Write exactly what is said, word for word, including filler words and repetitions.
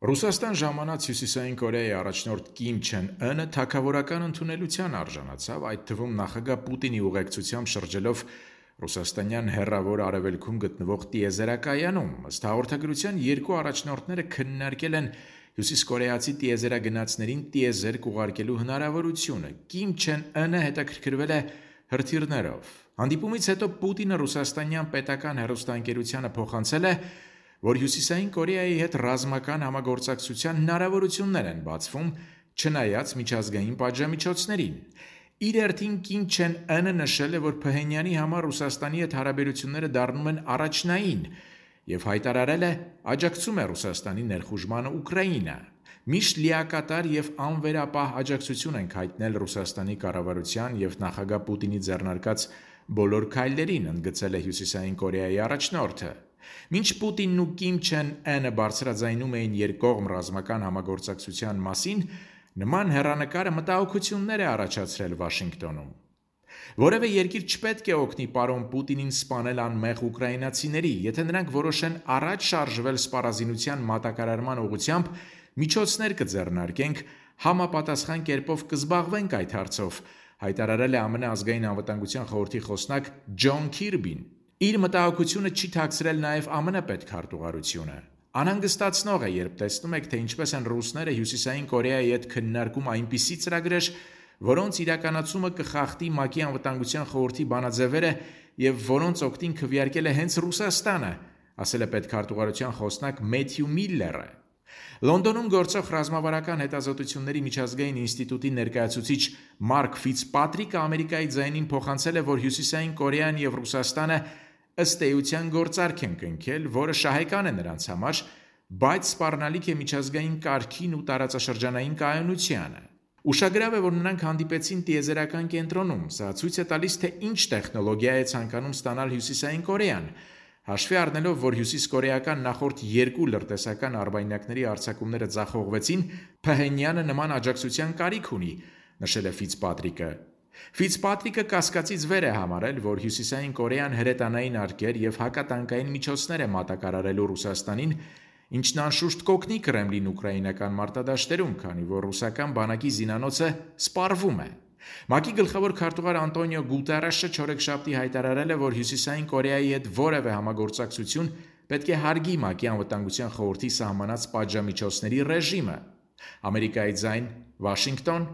Ռուսաստան ժամանած Հյուսիսային Կորեայի առաջնորդ Կիմ Չեն Ընը թագավորական ընդունելության արժանացավ, այդ թվում նախագահ Պուտինի ուղեկցությամբ շրջելով ռուսաստանյան հեռավոր արևելքում գտնվող տիեզերակայանում։ Ըստ հաղորդագրության երկու առաջնորդները քննարկել են հյուսիսկորեացի տիեզերագնացներին տիեզերք ուղարկելու հնարավորությունը։ Կիմ Չեն Ընը հետաքրքրվել է հրթիռներով։ Հանդիպումից հետո Պուտինը ռուսաստանյան պետական հեռուստաընկերությանը փոխանցել է, որ Հյուսիսային Կորեայի հետ ռազմական համագործակցության հնարավորություններ են բացվում, չնայած միջազգային պատժամիջոցներին։ Իր հերթին Կիմ Չեն Ընը նշել է, որ Փհենյանի համար Ռուսաստանի հետ հարաբերությունները դառնում են առաջնային եւ հայտարարել է աջակցում է Ռուսաստանի ներխուժմանը Ուկրաինա։ Միշտ լիակատար եւ անվերապահ աջակցություն ենք հայտնել Ռուսաստանի կառավարության եւ նախագահ Պուտինի ձեռնարկած բոլոր քայլերին, ընդգծել է Հյուսիսային Կորեայի առաջնորդը։ Մինչ Պուտինն ու Կիմ Չեն Ընը բարձրաձայնում էին երկկողմ ռազմական համագործակցության մասին, նման հեռանկարը մտահոգություններ է առաջացրել Վաշինգտոնում։ Որևէ երկիր չպետք է օգնի պարոն Պուտինին սպանել անմեղ ուկրաինացիների, եթե նրանք որոշեն առաջ շարժվել սպառազինության մատակարարման ուղղությամբ, միջոցներ կձեռնարկենք, համապատասխան կերպով կզբաղվենք այդ հարցով, հայտարարել է ԱՄՆ ազգային անվտանգության խորհրդի խոսնակ Ջոն Քիրբին։ Իր մտահոգությունը չի թաքցրել նաև ԱՄՆ պետքարտուղարությունը։ Անհանգստացնող է, երբ տեսնում եք, թե ինչպես են ռուսները Հյուսիսային Կորեայի հետ քննարկում այնպիսի ծրագրեր, որոնց իրականացումը կխախտի ՄԱԿ-ի անվտանգության խորհրդի բանաձևերը եւ որոնց օգտին քվեարկել է հենց Ռուսաստանը, ասել է պետքարտուղարության խոսնակ Մեթյու Միլլերը։ Լոնդոնում գործող ռազմավարական հետազոտությունների միջազգային ինստիտուտի ներկայացուցիչ Մարկ Ֆիցպատրիկը Ամերիկայի ձայնին փոխանցել է, որ Հյուսիսային Կորեան եւ Ռուսաստանը ըստ էության գործարք են կնքել, որը շահեկան է նրանց համար, բայց սպառնալիք է միջազգային կարգին ու տարածաշրջանային կայունությանը։ Ուշագրավ է, որ նրանք հանդիպեցին տիեզերական կենտրոնում։ Սա ցույց է տալիս, թե ինչ տեխնոլոգիա է ցանկանում ստանալ Հյուսիսային Կորեան։ Հաշվի առնելով, որ հյուսիսկորեական նախորդ երկու լրտեսական արբանյակների արձակումները ձախողվեցին, Փհենյանը նման աջակցության կարիք ունի, նշել է Ֆիցպատրիկը։ Ֆիցպատրիկը կասկածից վեր է համարել, որ Հյուսիսային Կորեան հրետանային արկեր եւ հակատանկային միջոցներ է մատակարարելու Ռուսաստանին, ինչն անշուշտ կօգնի Կրեմլին ուկրաինական մարտադաշտերում, քանի որ ռուսական բանակի զինանոցը սպառվում է։ ՄԱԿ-ի գլխավոր քարտուղար Անտոնիո Գուտերեշը չորեքշաբթի հայտարարել է, որ Հյուսիսային Կորեայի հետ որևէ համագործակցություն պետք է հարգի ՄԱԿ-ի անվտանգության խորհրդի սահմանած պատժամիջոցների ռեժիմը։ Ամերիկայի ձայն, Վաշինգտոն,